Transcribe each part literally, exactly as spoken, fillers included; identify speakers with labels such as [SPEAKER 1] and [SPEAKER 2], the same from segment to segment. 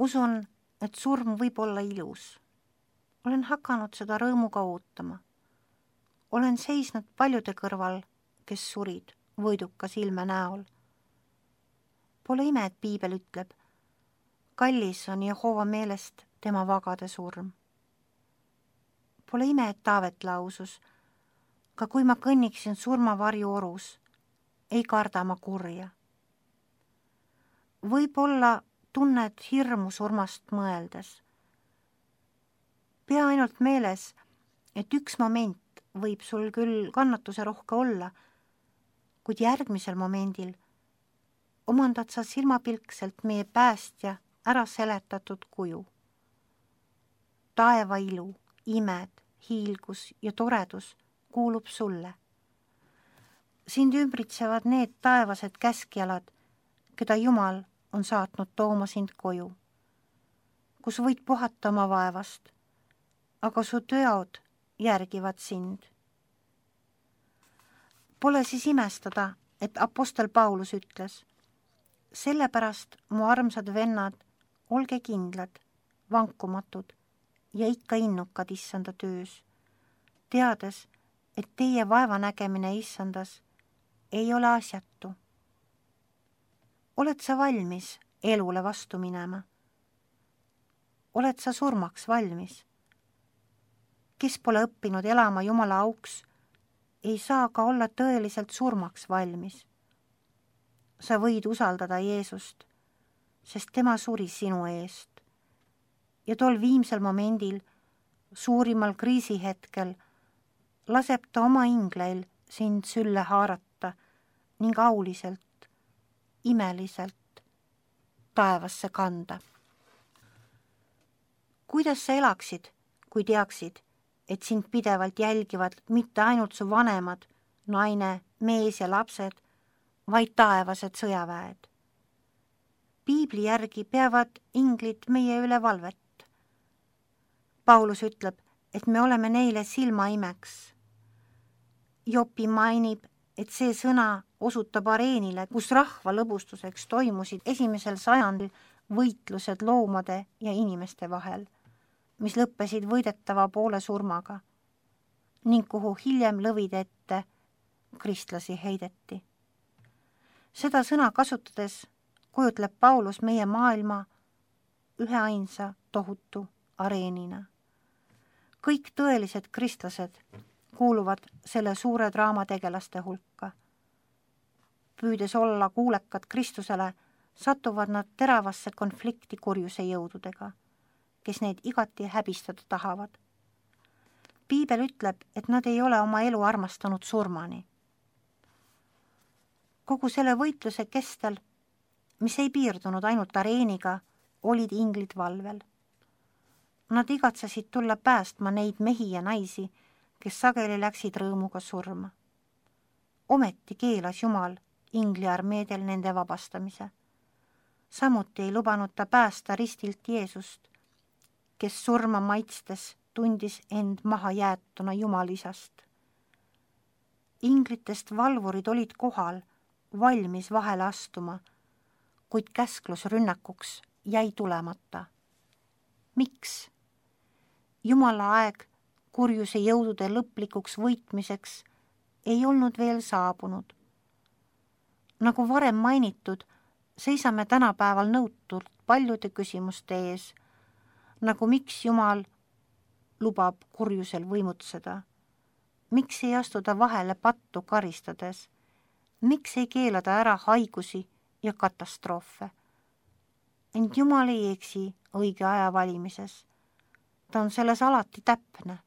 [SPEAKER 1] Usun, et surm võib olla ilus. Olen hakanud seda rõõmuga ootama. Olen seisnud paljude kõrval, kes surid võidukas ilme näol. Pole ime, et piibel ütleb, kallis on Jehova meelest tema vagade surm. Pole ime, et Taavet lausus, ka kui ma kõnniksin surmavarju orus, ei karda ma kurja. Võib-olla tunned hirmu surmast mõeldes. Pea ainult meeles, et üks moment võib sul küll kannatuse rohke olla, kuid järgmisel momendil omandad sa silmapilkselt meie päästja ära seletatud kuju. Taeva ilu, imed, hiilgus ja toredus kuulub sulle. Sind ümbritsevad need taevased käskjalad, keda Jumal on saatnud tooma sind koju, kus võid puhata oma vaevast, aga su teod järgivad sind. Pole siis imestada, et apostel Paulus ütles, sellepärast, mu armsad vennad, olge kindlad, vankumatud ja ikka innukad issanda töös, teades, et teie vaevanägemine issandas ei ole asjatu. Oled sa valmis elule vastu minema? Oled sa surmaks valmis? Kes pole õppinud elama Jumala auks, ei saa ka olla tõeliselt surmaks valmis. Sa võid usaldada Jeesust, sest tema suri sinu eest. Ja tol viimsel momendil, suurimal kriisihetkel, laseb ta oma ingleil sind sülle haarata ning auliselt, imeliselt taevasse kanda. Kuidas sa elaksid, kui teaksid, et sind pidevalt jälgivad mitte ainult su vanemad, naine, mees ja lapsed, vaid taevased sõjaväed? Piibli järgi peavad inglid meie üle valvet. Paulus ütleb, et me oleme neile silmaimeks. Jopi mainib, et see sõna osutab areenile, kus rahva lõbustuseks toimusid esimesel sajandil võitlused loomade ja inimeste vahel, mis lõppesid võidetava poole surmaga ning kuhu hiljem lõvide ette kristlasi heideti. Seda sõna kasutades kujutleb Paulus meie maailma üheainsa tohutu areenina. Kõik tõelised kristlased kuuluvad selle suure draama tegelaste hulka. Püüdes olla kuulekad Kristusele, satuvad nad teravasse konflikti kurjuse jõududega, kes neid igati häbistada tahavad. Piibel ütleb, et nad ei ole oma elu armastanud surmani. Kogu selle võitluse kestel, mis ei piirdunud ainult areeniga, olid inglid valvel. Nad igatsesid tulla päästma neid mehi ja naisi, kes sageli läksid rõõmuga surma. Ometi keelas Jumal ingliarmeedel nende vabastamise. Samuti ei lubanud ta päästa ristilt Jeesust, kes surma maitstes tundis end maha jäetuna Jumalisast. Inglitest valvurid olid kohal, valmis vahele astuma, kuid käsklus rünnakuks jäi tulemata. Miks? Jumala aeg kurjuse jõudude lõplikuks võitmiseks ei olnud veel saabunud. Nagu varem mainitud, seisame tänapäeval nõutult paljude küsimuste ees, nagu miks Jumal lubab kurjusel võimutseda, miks ei astuda vahele pattu karistades, miks ei keelada ära haigusi ja katastroofe. Ent Jumal ei eksi õige aja valimises. Ta on selles alati täpne.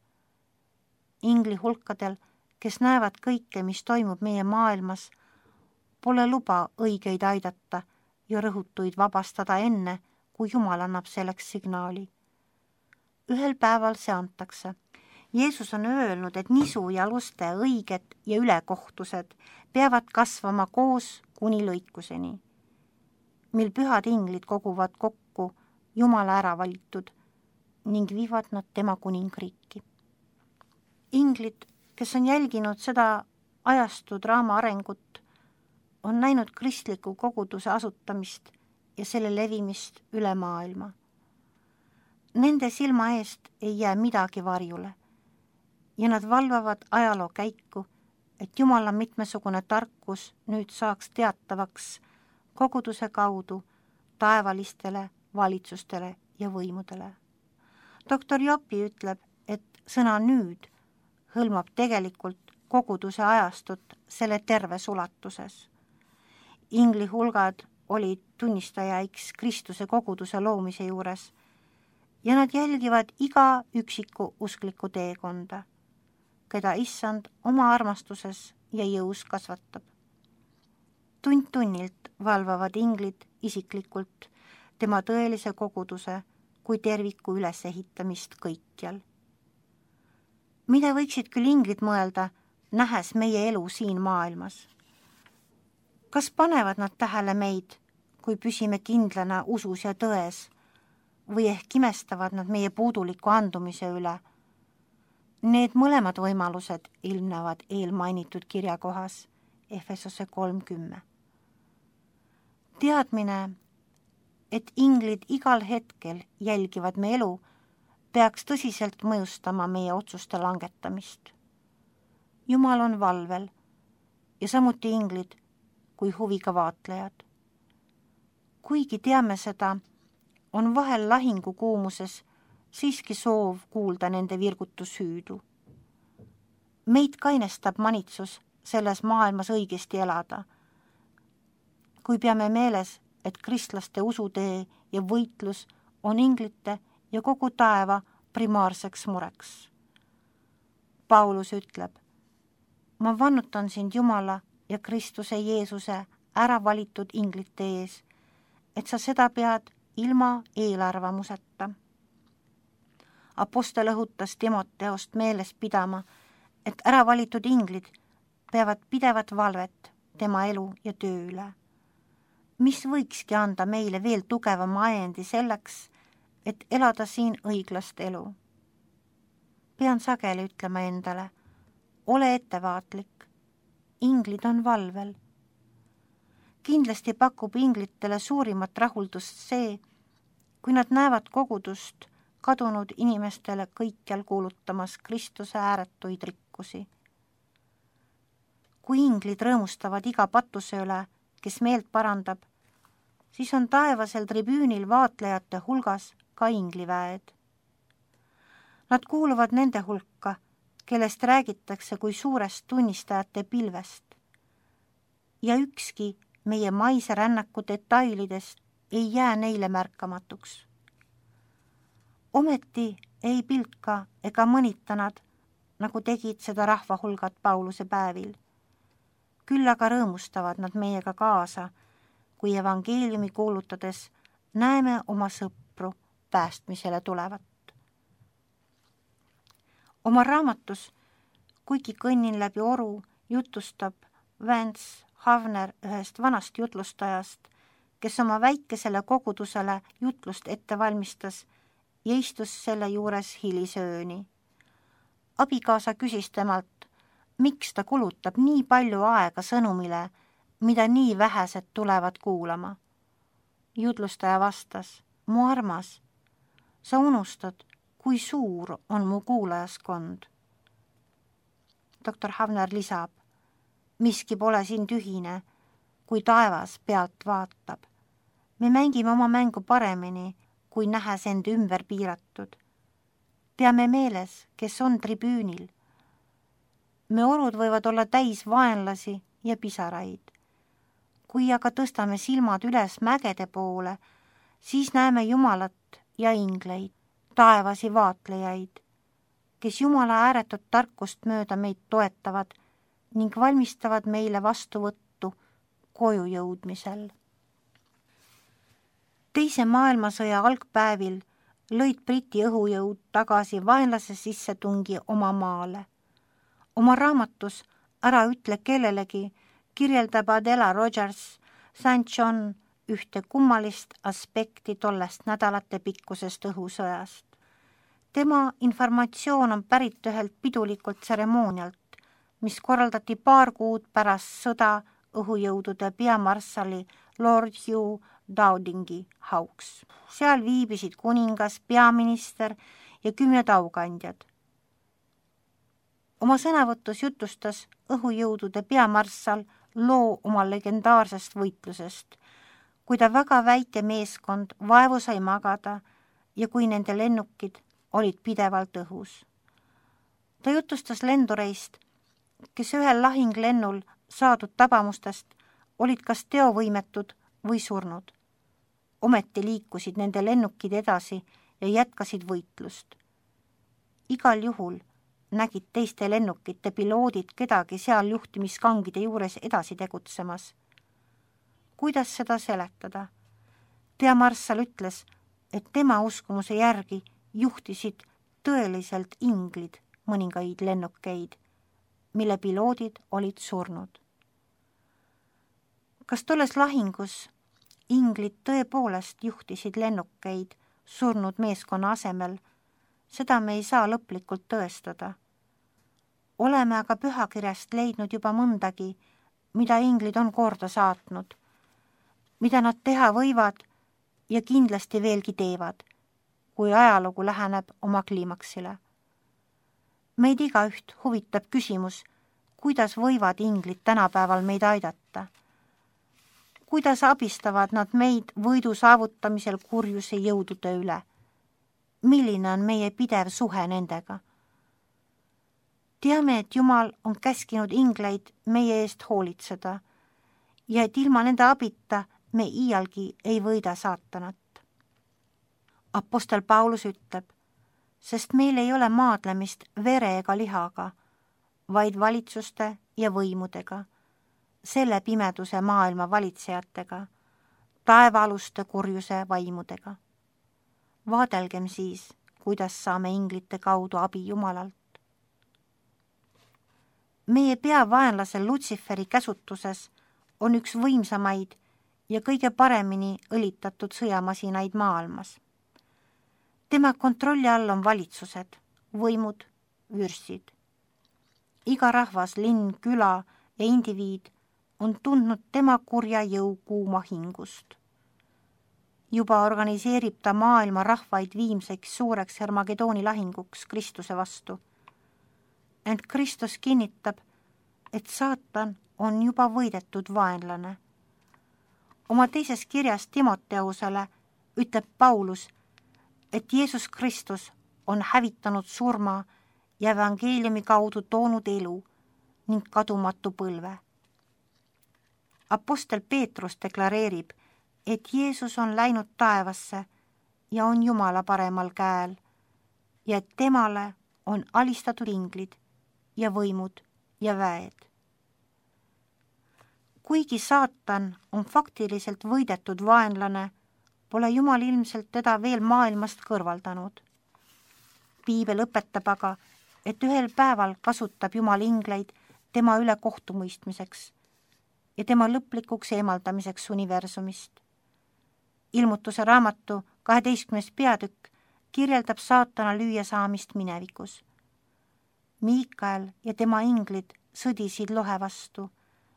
[SPEAKER 1] Ingli hulkadel, kes näevad kõike, mis toimub meie maailmas, pole luba õigeid aidata ja rõhutuid vabastada enne, kui Jumal annab selleks signaali. Ühel päeval see antakse. Jeesus on öelnud, et nisu ja luste, õiged ja ülekohtused peavad kasvama koos kuni lõikuseni, mil pühad inglid koguvad kokku Jumala ära valitud ning viivad nad tema kuningriiki. Inglid, kes on jälginud seda ajastu draama arengut, on näinud kristliku koguduse asutamist ja selle levimist üle maailma. Nende silma eest ei jää midagi varjule ja nad valvavad ajaloo käiku, et Jumala mitmesugune tarkus nüüd saaks teatavaks koguduse kaudu taevalistele valitsustele ja võimudele. doktor Jopi ütleb, et sõna nüüd hõlmab tegelikult koguduse ajastut selle terves ulatuses. Ingli hulgad olid tunnistajaiks Kristuse koguduse loomise juures ja nad jälgivad iga üksiku uskliku teekonda, keda issand oma armastuses ja jõus kasvatab. Tund-tunnilt valvavad inglid isiklikult tema tõelise koguduse kui terviku ülesehitamist kõikjal. Mida võiksid küll inglid mõelda, nähes meie elu siin maailmas? Kas panevad nad tähele meid, kui püsime kindlana usus ja tões, või ehk imestavad nad meie puuduliku andumise üle? Need mõlemad võimalused ilmnevad eelmainitud kirjakohas Efesose kolmkümmend. Teadmine, et inglid igal hetkel jälgivad me elu, peaks tõsiselt mõjustama meie otsuste langetamist. Jumal on valvel ja samuti inglid kui huviga vaatlejad. Kuigi teame seda, on vahel lahingu kuumuses siiski soov kuulda nende virgutushüüdu. Meid kainestab manitsus selles maailmas õigesti elada, kui peame meeles, et kristlaste usutee ja võitlus on inglite ja kogu taeva primaarseks mureks. Paulus ütleb, ma vannutan sind Jumala ja Kristuse Jeesuse ära valitud inglite ees, et sa seda pead ilma eelarvamuseta. Apostel õhutas Timoteost meeles pidama, et ära valitud inglid peavad pidevat valvet tema elu ja töö üle. Mis võikski anda meile veel tugevama ajendi selleks, et elada siin õiglast elu? Pean sageli ütlema endale, ole ettevaatlik, inglid on valvel. Kindlasti pakub inglitele suurimat rahuldust see, kui nad näevad kogudust kadunud inimestele kõikjal kuulutamas Kristuse ääretuid rikkusi. Kui inglid rõõmustavad iga patuse üle, kes meelt parandab, siis on taevasel tribüünil vaatlejate hulgas ka ingliväed. Nad kuuluvad nende hulka, kellest räägitakse kui suurest tunnistajate pilvest. Ja ükski meie maise rännaku detailidest ei jää neile märkamatuks. Ometi ei pilka ega mõnita nad, nagu tegid seda rahvahulgad Pauluse päevil. Küll aga rõõmustavad nad meiega kaasa, kui evangeeliumi kuulutades näeme oma sõpru päästmisele tulevat. Oma raamatus, kuigi kõnnin läbi oru, jutustab Vance Havner ühest vanast jutlustajast, kes oma väikesele kogudusele jutlust ette valmistas ja istus selle juures hilisööni. Abikaasa küsis temalt, miks ta kulutab nii palju aega sõnumile, mida nii vähesed tulevad kuulama. Jutlustaja vastas, mu armas, sa unustad, kui suur on mu kuulajaskond. doktor Havner lisab, miski pole siin tühine, kui taevas pealt vaatab. Me mängime oma mängu paremini, kui nähes end ümber piiratud. Peame meeles, kes on tribüünil. Me orud võivad olla täis vaenlasi ja pisaraid. Kui aga tõstame silmad üles mägede poole, siis näeme Jumalat ja ingleid, taevasi vaatlejaid, kes Jumala ääretut tarkust mööda meid toetavad ning valmistavad meile vastuvõttu koju jõudmisel. Teise maailmasõja algpäevil lõid Briti õhujõud tagasi vaenlase sissetungi oma maale. Oma raamatus Ära ütle kellelegi kirjeldab Adela Rogers Saint John ühte kummalist aspekti tollest nädalate pikkusest õhusõjast. Tema informatsioon on pärit ühelt pidulikult tseremoonialt, mis korraldati paar kuud pärast sõda õhujõudude peamarssali Lord Hugh Dowdingi hauks. Seal viibisid kuningas, peaminister ja kümned aukandjad. Oma sõnavõtus jutustas õhujõudude peamarssal loo oma legendaarsest võitlusest, kui ta väga väike meeskond vaevu sai magada ja kui nende lennukid olid pidevalt õhus. Ta jutustas lendureist, kes ühel lahinglennul saadud tabamustest olid kas teovõimetud või surnud. Ometi liikusid nende lennukid edasi ja jätkasid võitlust. Igal juhul nägid teiste lennukite piloodid kedagi seal juhtimiskangide juures edasi tegutsemas. Kuidas seda seletada? Peamarssal ütles, et tema uskumuse järgi juhtisid tõeliselt inglid mõningaid lennukeid, mille piloodid olid surnud. Kas tolles lahingus inglid tõepoolest juhtisid lennukeid surnud meeskonna asemel, seda me ei saa lõplikult tõestada. Oleme aga pühakirjast leidnud juba mõndagi, mida inglid on korda saatnud, mida nad teha võivad ja kindlasti veelgi teevad, kui ajalugu läheneb oma kliimaksile. Meid igaüht huvitab küsimus, kuidas võivad inglid tänapäeval meid aidata. Kuidas abistavad nad meid võidu saavutamisel kurjuse jõudude üle? Milline on meie pidev suhe nendega? Teame, et Jumal on käskinud ingleid meie eest hoolitseda ja et ilma nende abita me iialgi ei võida saatanat. Apostel Paulus ütleb, sest meil ei ole maadlemist vere ega lihaga, vaid valitsuste ja võimudega, selle pimeduse maailma valitsejatega, taevaaluste kurjuse vaimudega. Vaadelgem siis, kuidas saame inglite kaudu abi Jumalalt. Meie peavaenlasel Lutsiferi käsutuses on üks võimsamaid ja kõige paremini õlitatud sõjamasinaid maailmas. Tema kontrolli all on valitsused, võimud, vürsid. Iga rahvas, linn, küla ja indiviid on tundnud tema kurja jõu kuuma hingust. Juba organiseerib ta maailma rahvaid viimseks suureks Hermagedooni lahinguks Kristuse vastu. Ent Kristus kinnitab, et saatan on juba võidetud vaenlane. Oma teises kirjas Timoteusele ütleb Paulus, et Jeesus Kristus on hävitanud surma ja evangeeliumi kaudu toonud elu ning kadumatu põlve. Apostel Peetrus deklareerib, et Jeesus on läinud taevasse ja on Jumala paremal käel ja et temale on alistatud inglid ja võimud ja väed. Kuigi saatan on faktiliselt võidetud vaenlane, pole Jumal ilmselt teda veel maailmast kõrvaldanud. Piibel õpetab aga, et ühel päeval kasutab Jumal ingleid tema üle kohtumõistmiseks ja tema lõplikuks eemaldamiseks universumist. Ilmutuse raamatu kaheteistkümnes peatükk kirjeldab saatana lüüa saamist minevikus. Miikael ja tema inglid sõdisid lohe vastu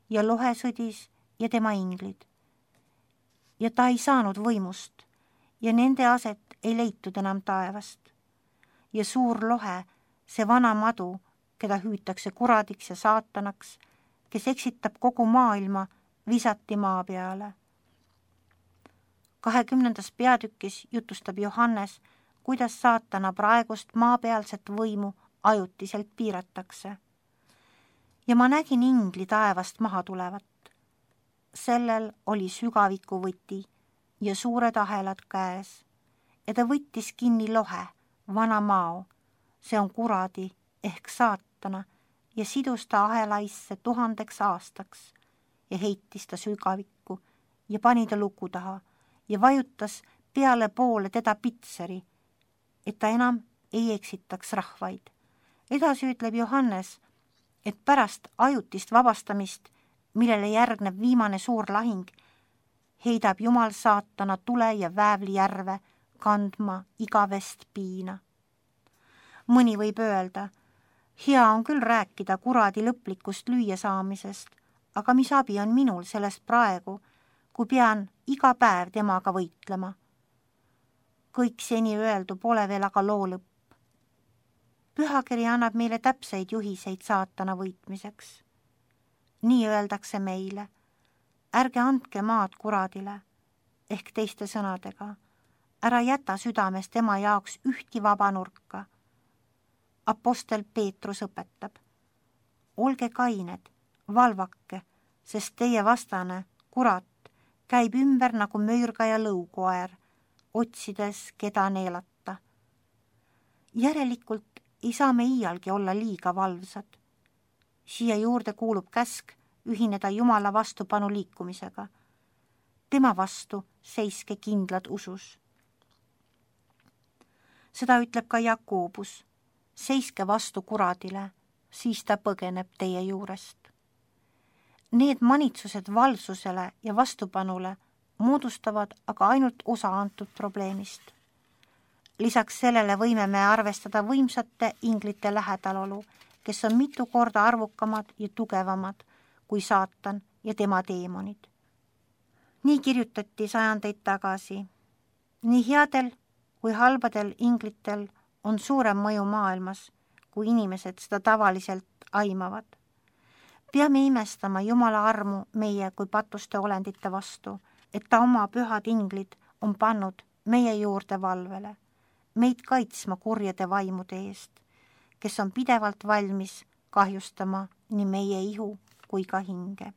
[SPEAKER 1] ja lohe sõdis ja tema inglid. Ja ta ei saanud võimust ja nende aset ei leitud enam taevast. Ja suur lohe, see vana madu, keda hüütakse kuradiks ja saatanaks, kes eksitab kogu maailma, visati maa peale. kahekümnendas peatükis jutustab Johannes, kuidas saatana praegust maapealset võimu ajutiselt piiratakse. Ja ma nägin ingli taevast maha tulevat. Sellel oli sügaviku võti ja suured ahelad käes ja ta võttis kinni lohe, vana mao, see on kuradi ehk saatana ja sidus ta ahelaisse tuhandeks aastaks ja heitis ta sügavikku ja pani ta luku taha ja vajutas peale poole teda pitseri, et ta enam ei eksitaks rahvaid. Edasi ütleb Johannes, et pärast ajutist vabastamist, millele järgneb viimane suur lahing, heidab Jumal saatana tule ja väävli järve kandma igavest piina. Mõni võib öelda, hea on küll rääkida kuradi lõplikust lüüa saamisest, aga mis abi on minul sellest praegu, kui pean iga päev temaga võitlema. Kõik seni öeldu pole veel aga loo lõpp. Pühakiri annab meile täpseid juhiseid saatana võitmiseks. Nii öeldakse meile, ärge andke maad kuradile, ehk teiste sõnadega, ära jäta südames tema jaoks ühti vaba nurka. Apostel Peetrus õpetab, olge kained, valvake, sest teie vastane, kurat, käib ümber nagu möürgaja lõukoer, otsides, keda neelata. Järelikult ei saa me iialgi olla liiga valvsad. Siia juurde kuulub käsk ühineda Jumala vastupanu liikumisega. Tema vastu seiske kindlad usus. Seda ütleb ka Jakobus. Seiske vastu kuradile, siis ta põgeneb teie juurest. Need manitsused valvsusele ja vastupanule moodustavad aga ainult osa antud probleemist. Lisaks sellele võime me arvestada võimsate inglite lähedalolu, kes on mitu korda arvukamad ja tugevamad kui saatan ja tema teemonid. Nii kirjutati sajandeid tagasi. Nii headel kui halbadel inglitel on suurem mõju maailmas, kui inimesed seda tavaliselt aimavad. Peame imestama Jumala armu meie kui patuste olendite vastu, et ta oma pühad inglid on pannud meie juurde valvele, meid kaitsma kurjade vaimude eest, kes on pidevalt valmis kahjustama nii meie ihu kui ka hinge.